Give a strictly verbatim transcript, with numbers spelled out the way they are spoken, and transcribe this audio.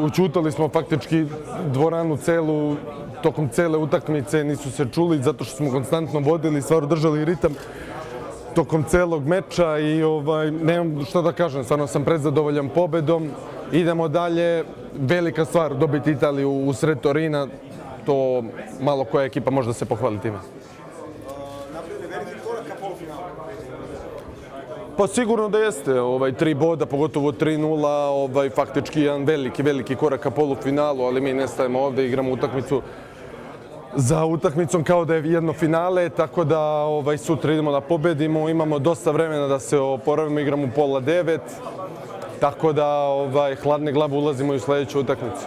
Učutali smo faktički dvoranu celu, tokom cele utakmice nisu se čuli zato što smo konstantno vodili, stvarno držali ritam tokom celog meča i ovaj, nemam šta da kažem, stvarno sam predzadovoljan pobedom. Idemo dalje, velika stvar dobiti Italiju u sred Torina, to malo koja ekipa može da se pohvali time. Pa sigurno da jeste, ovaj, tri boda, pogotovo tri nula, ovaj, faktički jedan veliki, veliki korak ka polufinalu, ali mi ne stajemo ovde, igramo utakmicu za utakmicom kao da je jedno finale, tako da ovaj, sutra idemo da pobedimo, imamo dosta vremena da se oporavimo, igramo u pola devet, tako da ovaj, hladne glave ulazimo i u sledeću utakmicu.